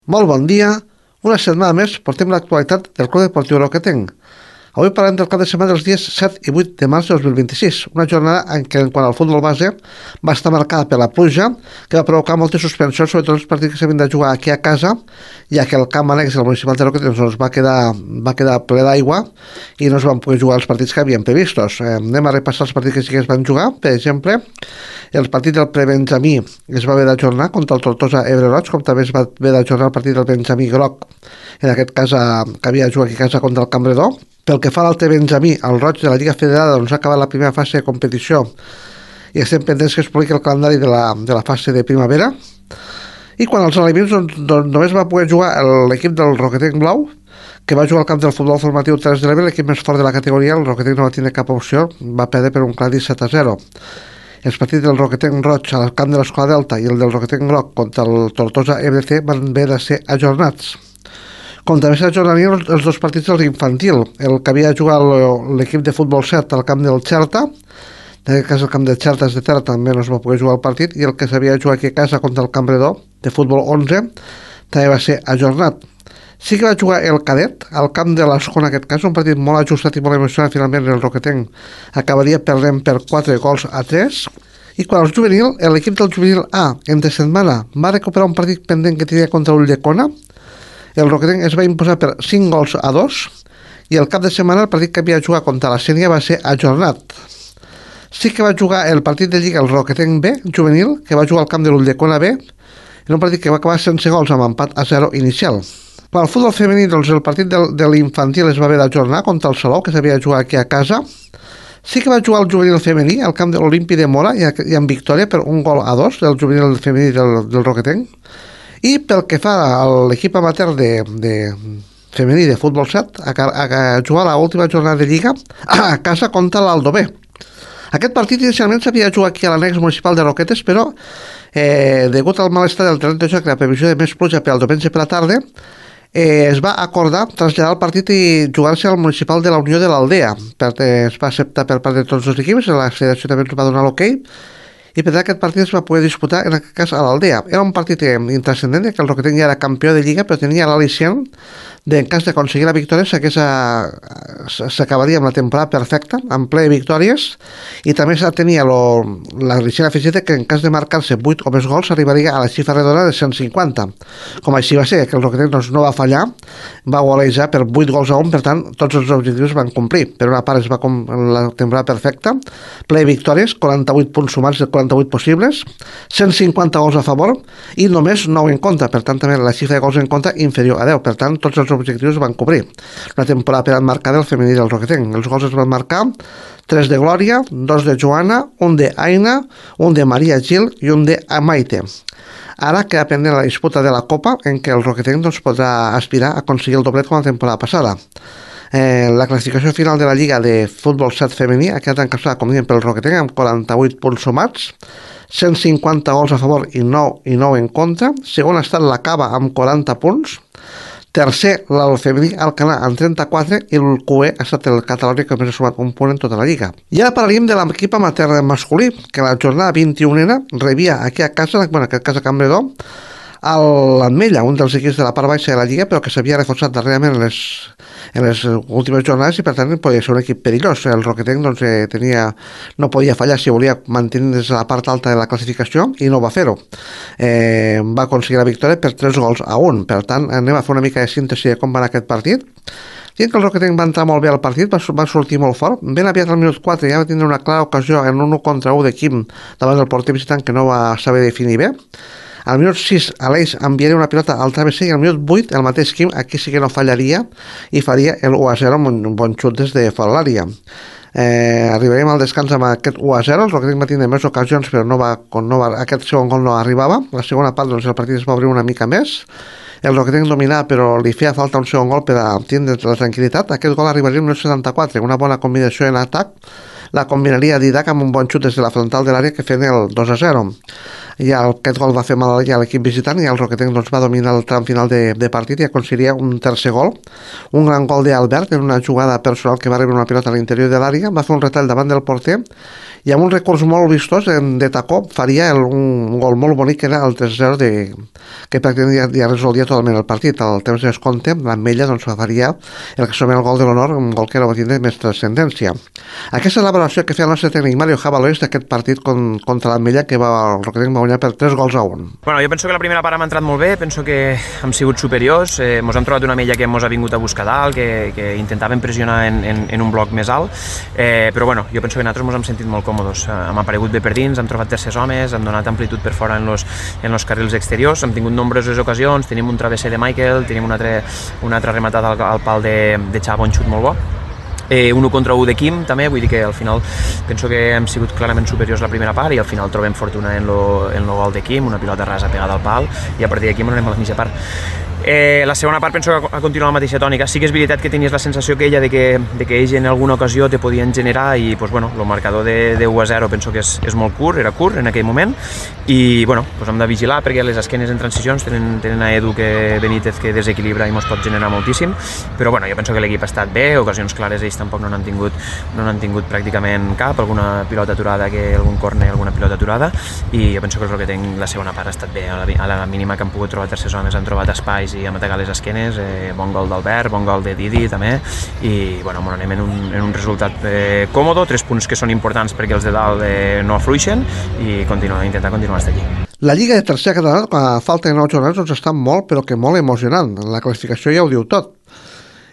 Molt bon dia. Una setmana més portem l'actualitat del Club Deportiu Roquetenc. Avui parlem del cap de setmana dels dies 7 i 8 de març de 2026, una jornada en què, quant al futbol base, va estar marcada per la pluja, que va provocar moltes suspensions, sobretot els partits que s'havien de jugar aquí a casa, ja que el camp annex del municipal de Roquetenc doncs, va quedar ple d'aigua i no es van poder jugar els partits que havien previstos. Anem a repassar els partits que sí que es van jugar. Per exemple, el partit del prebenjamí es va haver d'ajornar contra el Tortosa Ebre Roig, com també es va haver d'ajornar el partit del benjamí groc, en aquest cas que havia de jugar aquí a casa contra el Cambredó. Pel que fa a l'altre benjamí, el Roig de la Lliga Federada, doncs ha acabat la primera fase de competició i estem pendents que es publiqui el calendari de la fase de primavera. I quan als aliments doncs només va poder jugar l'equip del Roquetenc Blau, que va jugar al camp del futbol formatiu Terres de l'Ebre, l'equip més fort de la categoria. El Roquetenc no va tenir cap opció, va perdre per un clar 17-0. Els partits del Roquetenc Roig al camp de l'Escola Delta i el del Roquetenc Groc contra el Tortosa EBC van haver de ser ajornats. Com també s'ajornarien els dos partits dels infantil, el que havia de jugar l'equip de futbol 7 al camp del Xerta, en aquest cas el camp del Xerta és de terra, també no es va poder jugar el partit, i el que s'havia de jugar aquí a casa contra el Cambredó de futbol 11 també va ser ajornat. Sí que va jugar el cadet al camp de l'Escona, en aquest cas, un partit molt ajustat i molt emocionant. Finalment el Roquetenc acabaria perdent per 4-3. I quan el juvenil, l'equip del juvenil A entre setmana va recuperar un partit pendent que tenia contra Ulldecona. El Roquetenc es va imposar per 5-2 i el cap de setmana el partit que havia de jugar contra la Sénia va ser ajornat. Sí que va jugar el partit de Lliga el Roquetenc B juvenil, que va jugar al camp de l'Ulldecona B, en un partit que va acabar sense gols amb empat a 0 inicial. Per al futbol femení, doncs, el partit de l'infantil es va haver d'ajornar contra el Salou, que s'havia de jugar aquí a casa. Sí que va jugar el juvenil femení al camp de l'Olimpi de Mora i amb victòria per 1-2 del juvenil femení del Roquetenc. I pel que fa a l'equip amateur de femení de futbol 7, a jugar l'última jornada de Lliga a casa contra l'Aldové. Aquest partit inicialment s'havia de jugar aquí a l'annex municipal de Roquetes, però degut al mal estat del terreny de joc i la previsió de més pluja per al diumenge per la tarda, es va acordar traslladar el partit i jugar-se al municipal de la Unió de l'Aldea. Es va acceptar per part de tots els equips, la federació també ens va donar l'ok, i per tant aquest partit es va poder disputar en aquest cas a l'Aldea. Era un partit intrascendent, que el Roquetenc ja era campió de Lliga, però tenia l'al·licient en cas d'aconseguir la victòria s'acabaria amb la temporada perfecta, amb ple de victòries, i també tenia l'al·licient afegit que en cas de marcar-se 8 o més gols arribaria a la xifra redona de 150. Com així va ser, que el Roquetenc no va fallar, va golejar per 8 gols a 1, per tant tots els objectius van complir. Per una part es va la temporada perfecta, ple de victòries, 48 punts sumats de 48 possibles, 150 gols a favor i només 9 en contra, per tant també la xifra de gols en contra inferior a 10, per tant tots els objectius van cobrir. Una temporada per marcar del femení del Roquetenc. Els gols es van marcar 3 de Glòria, 2 de Joana, 1 de Aina, 1 de Maria Gil i 1 de Amaite. Ara queda pendent la disputa de la Copa, en què el Roquetenc podrà aspirar a aconseguir el doblet com la temporada passada. La classificació final de la Lliga de Futbol 7 femení ha quedat encaixada, com diem, pel Roquetenc amb 48 punts sumats, 150 gols a favor i 9 en contra. Segon ha estat la Cava amb 40 punts. Tercer, el femení Alcanar amb 34 i el QE ha estat el Catalunya, que més ha sumat un punt en tota la Lliga. I ara parlaríem de l'equip amateur masculí, que la jornada 21a rebia aquí a casa, en aquest cas a Cambredó, l'Ametlla, un dels equips de la part baixa de la Lliga, però que s'havia reforçat darrerament en les últimes jornades i per tant podia ser un equip perillós. El Roquetenc no podia fallar si volia mantenir des de la part alta de la classificació i no va fer-ho. Va aconseguir la victòria per 3-1. Per tant, anem a fer una mica de síntesi de com va anar aquest partit. Dient que el Roquetenc va entrar molt bé al partit, va sortir molt fort. Ben aviat al minut 4 ja va tindre una clara ocasió en un 1-1 de Quim davant del porter visitant, que no va saber definir bé. Al minut 6 Aleix enviaria una pilota al travesser i al minut 8 el mateix Quim, aquí sí que no fallaria i faria el 1-0 amb un bon xut des de fora l'àrea. Arribaríem al descans amb aquest 1-0. El Roquetenc va tindre més ocasions, però aquest segon gol no arribava. La segona part el partit es va obrir una mica més. El Roquetenc dominava, però li feia falta un segon gol per a tindre la tranquil·litat. Aquest gol arribaria al minut 74, una bona combinació en atac. La combinaria Didac amb un bon xut des de la frontal de l'àrea que feien el 2-0. I aquest gol va fer mal a l'equip visitant i el Roquetenc va dominar el tram final de partit i aconseguiria un tercer gol. Un gran gol d'Albert en una jugada personal que va rebre una pilota a l'interior de l'àrea, va fer un retall davant del porter i amb un recurs molt vistós de tacó faria un gol molt bonic que era el 3-0 que pràcticament ja resolia totalment el partit. Al temps de descompte l'Ametlla doncs, faria el que s'anomena el gol de l'honor, un gol que era tindre més transcendència. Aquesta és la valoració que feia el nostre tècnic Mario Jabalois d'aquest partit contra l'Ametlla, que el Roquetenc va guanyar per 3-1. Bueno, jo penso que la primera part hem entrat molt bé, penso que hem sigut superiors, mos hem trobat una Ametlla que mos ha vingut a buscar dalt, que intentaven pressionar en un bloc més alt, però bueno, jo penso que nosaltres ens hem sentit molt còmodes, hem aparegut bé per dins, hem trobat tercers homes, hem donat amplitud per fora en los carrils exteriors, hem tingut nombroses ocasions, tenim un travesser de Michael, tenim una altra rematada al pal de Xavo, un xut molt bo, 1 contra 1 de Quim també, vull dir que al final penso que hem sigut clarament superiors la primera part i al final trobem fortuna en el gol de Quim, una pilota rasa pegada al pal i a partir d'aquí anem a la mitja part. La segona part penso que ha continuat la mateixa tònica. Sí que és veritat que tenies la sensació aquella de que ells en alguna ocasió te podien generar i pues, bueno, el marcador de 1-0 penso que és molt curt, era curt en aquell moment i bueno, pues hem de vigilar perquè les esquenes en transicions tenen a Edu Benítez que desequilibra i mos pot generar moltíssim, però bueno, jo penso que l'equip ha estat bé, ocasions clares ells tampoc no n'han tingut pràcticament cap, alguna pilota aturada, algun córner, alguna pilota aturada i jo penso que el Roquetenc la segona part ha estat bé, a la mínima que han pogut trobar tercers homes, han trobat espais i hem atacat les esquenes, bon gol d'Albert, bon gol de Didi també i bueno, anem en un resultat còmodo, 3 punts que són importants perquè els de dalt no afluixen i intentar continuar fins aquí. La Lliga de Tercera Catalana, a falta de 9 jornades, doncs està molt, però que molt emocionant. La classificació ja ho diu tot.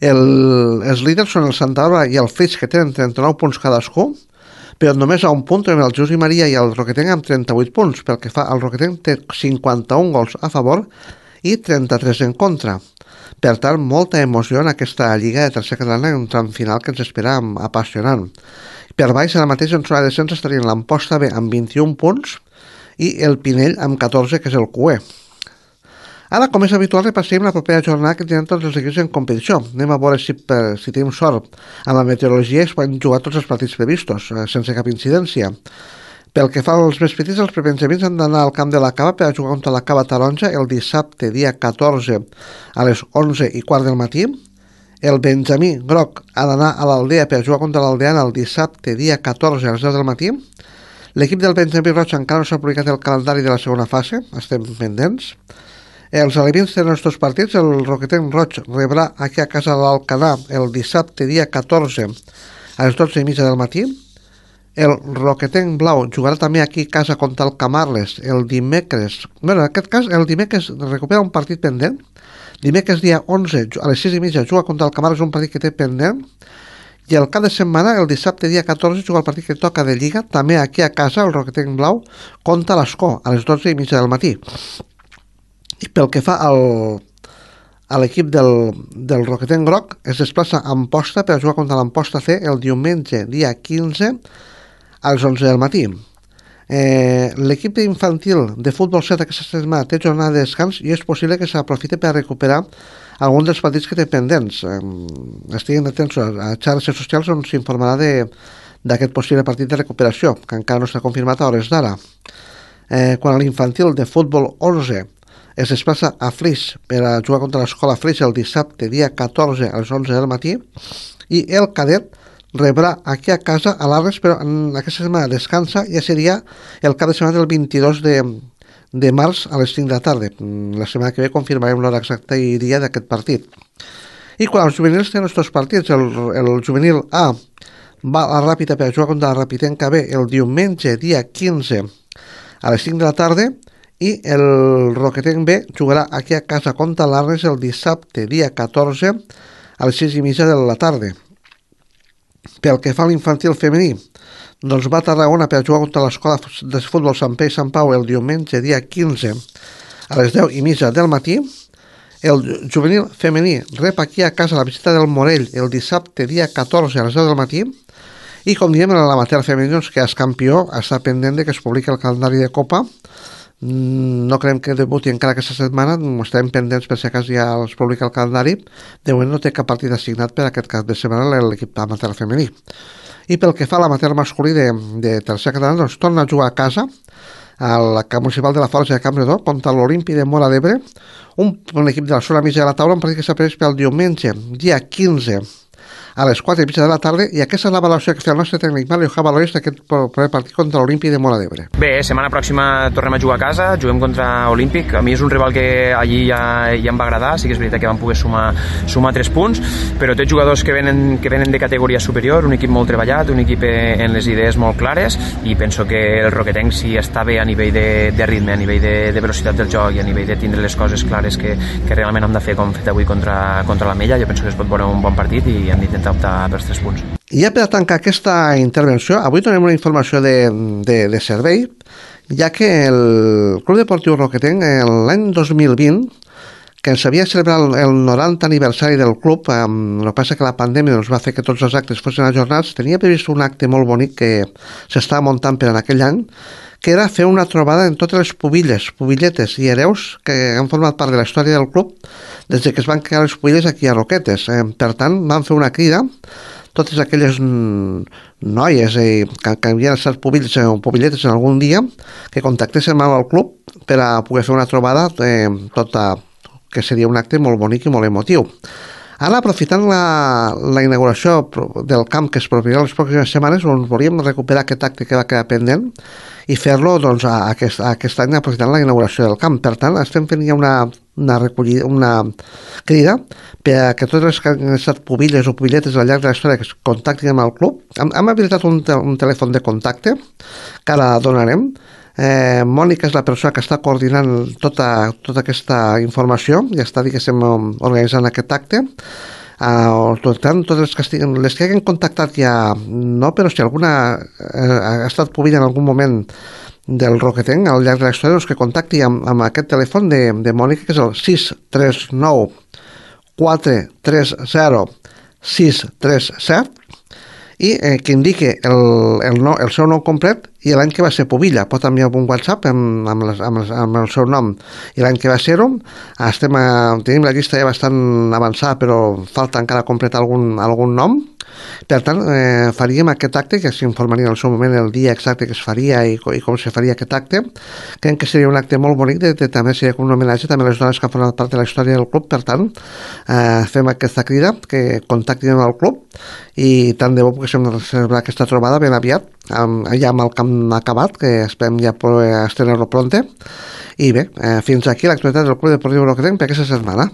Els líders són el Santa Bàrbara i el Flix, que tenen 39 punts cadascú, però només a un punt tenen el Jesús i Maria i el Roquetenc amb 38 punts. Pel que fa al Roquetenc té 51 gols a favor i 33 en contra. Per tant, molta emoció en aquesta Lliga de Tercera Catalana, un tram final que ens espera apassionant. Per baix, ara mateix en zona de descens estarien l'Amposta B amb 21 punts i el Pinell amb 14, que és el QE. Ara, com és habitual, repassem la propera jornada que tenen tots els equips en competició. Anem a veure si tenim sort amb la meteorologia i es poden jugar tots els partits previstos, sense cap incidència. Pel que fa als més petits, els prebenjamins han d'anar al camp de la Cava per a jugar contra la Cava Taronja el dissabte, dia 14, a les 11:15 del matí. El Benjamí Groc ha d'anar a l'Aldea per a jugar contra l'Aldeana el dissabte, dia 14, a les 10 del matí. L'equip del Benjamí Roig encara no s'ha publicat el calendari de la segona fase, estem pendents. Els alevins tenen els dos partits. El Roquetenc Roig rebrà aquí a casa de l'Alcanar el dissabte, dia 14, a les 12:30 del matí. El Roquetenc Blau jugarà també aquí a casa contra el Camarles el dimecres. Bé, en aquest cas, el dimecres recupera un partit pendent. Dimecres dia 11, a les 6:30, juga contra el Camarles, un partit que té pendent. I el cap de setmana, el dissabte dia 14, juga el partit que toca de Lliga, també aquí a casa, el Roquetenc Blau, contra l'Escó, a les 12:30 del matí. I pel que fa a l'equip del Roquetenc Groc, es desplaça a Amposta per a jugar contra l'Amposta C el diumenge, dia 15, a les 11 del matí. L'equip infantil de futbol 7 aquesta setmana té jornada de descans i és possible que s'aprofite per a recuperar alguns dels partits que té pendents. Estiguin atents a xarxes socials on s'informarà d'aquest possible partit de recuperació, que encara no s'ha confirmat a hores d'ara. Quan a l'infantil de futbol 11 es desplaça a Flix per a jugar contra l'Escola Flix el dissabte, dia 14, a les 11 del matí, i el cadet rebrà aquí a casa a l'Arles, però en aquesta setmana descansa, ja seria el cap de setmana del 22 de març a les 5 de la tarda. La setmana que ve confirmarem l'hora exacta i dia d'aquest partit. I quan els juvenils tenen els dos partits, el juvenil A va a la Ràpita per a jugar contra la Rapitenca B el diumenge, dia 15, a les 5 de la tarda, i el Roquetenc B jugarà aquí a casa contra l'Arles el dissabte, dia 14, a les 6:30 de la tarda. Pel que fa a l'infantil femení, doncs va a Tarragona per jugar contra l'Escola de Futbol Sant Pere i Sant Pau el diumenge, dia 15, a les 10:30 del matí. El juvenil femení rep aquí a casa la visita del Morell el dissabte, dia 14, a les 10 del matí. I com diem, l'amateur femení, doncs, que és campió, està pendent de que es publiqui el calendari de Copa. No creiem que debuti encara aquesta setmana, estem pendents per si a cas ja es publica el calendari. De moment no té cap partit assignat per aquest cap de setmana l'equip amateur femení. I pel que fa a l'amateur masculí de tercera catalana, doncs torna a jugar a casa al camp municipal de la Forja de Campredó contra l'Olimpi de Móra d'Ebre, un equip de la zona mitja de la taula, un partit que s'ha previst pel diumenge, dia 15, a les 4:30 de la tarda, i aquesta és la valoració que fa el nostre tècnic Mario Javalois d'aquest proper partit contra l'Olímpic de Móra d'Ebre. Bé, setmana pròxima tornem a jugar a casa, juguem contra Olímpic. A mi és un rival que allí ja em va agradar, sí que és veritat que vam poder sumar 3 punts, però té jugadors que venen de categoria superior, un equip molt treballat, un equip en les idees molt clares, i penso que el Roquetenc, si està bé a nivell de ritme, a nivell de velocitat del joc i a nivell de tindre les coses clares que realment hem de fer, com hem fet avui contra la Mella, jo penso que es pot veure un bon partit i hem d'intentar optar pels 3 punts. I ja per a tancar aquesta intervenció, avui donem una informació de servei, ja que el Club Deportiu Roquetenc l'any 2020, que ens havia celebrat el 90 aniversari del club, el que passa que la pandèmia va fer que tots els actes fossin ajornats, tenia previst un acte molt bonic que s'estava muntant per en aquell any, que era fer una trobada en totes les pubilletes i hereus que han format part de la història del club des que es van crear les pubilles aquí a Roquetes. Per tant, van fer una crida, totes aquelles noies que havien estat pubilletes en algun dia, que contactessin amb el club per a poder fer una trobada que seria un acte molt bonic i molt emotiu. Ara, aprofitant la inauguració del camp que es produirà les pròximes setmanes, volíem recuperar aquest acte que va quedar pendent i fer-lo aquest any aprofitant la inauguració del camp. Per tant, estem fent ja una crida per a que totes les que han estat pubilles o pubilletes al llarg de la història que es contactin amb el club. Hem habilitat un telèfon de contacte que ara donarem. Mònica és la persona que està coordinant tota aquesta informació i està, diguéssim, organitzant aquest acte. Per tant, totes les que hagin contactat ja no, però si alguna ha estat pubilla en algun moment del Roquetenc al llarg de la història, que contacti amb aquest telèfon de Mònica, que és el 639 430 637, i que indique el seu nom complet i l'any que va ser pubilla. Pot enviar un WhatsApp amb el seu nom i l'any que va ser-ho. Tenim la llista ja bastant avançada, però falta encara completar algun nom. Per tant, faríem aquest acte, que s'informaria en el seu moment el dia exacte que es faria i com se faria aquest acte. Creiem que seria un acte molt bonic, també seria com un homenatge també a les dones que han format part de la història del club. Per tant, fem aquesta crida, que contactin amb el club, i tant de bo poguéssim celebrar aquesta trobada ben aviat, ja amb el camp acabat, que esperem ja poder estrenar-lo pronte. I bé, fins aquí l'actualitat del Club Deportiu Roquetenc per aquesta setmana.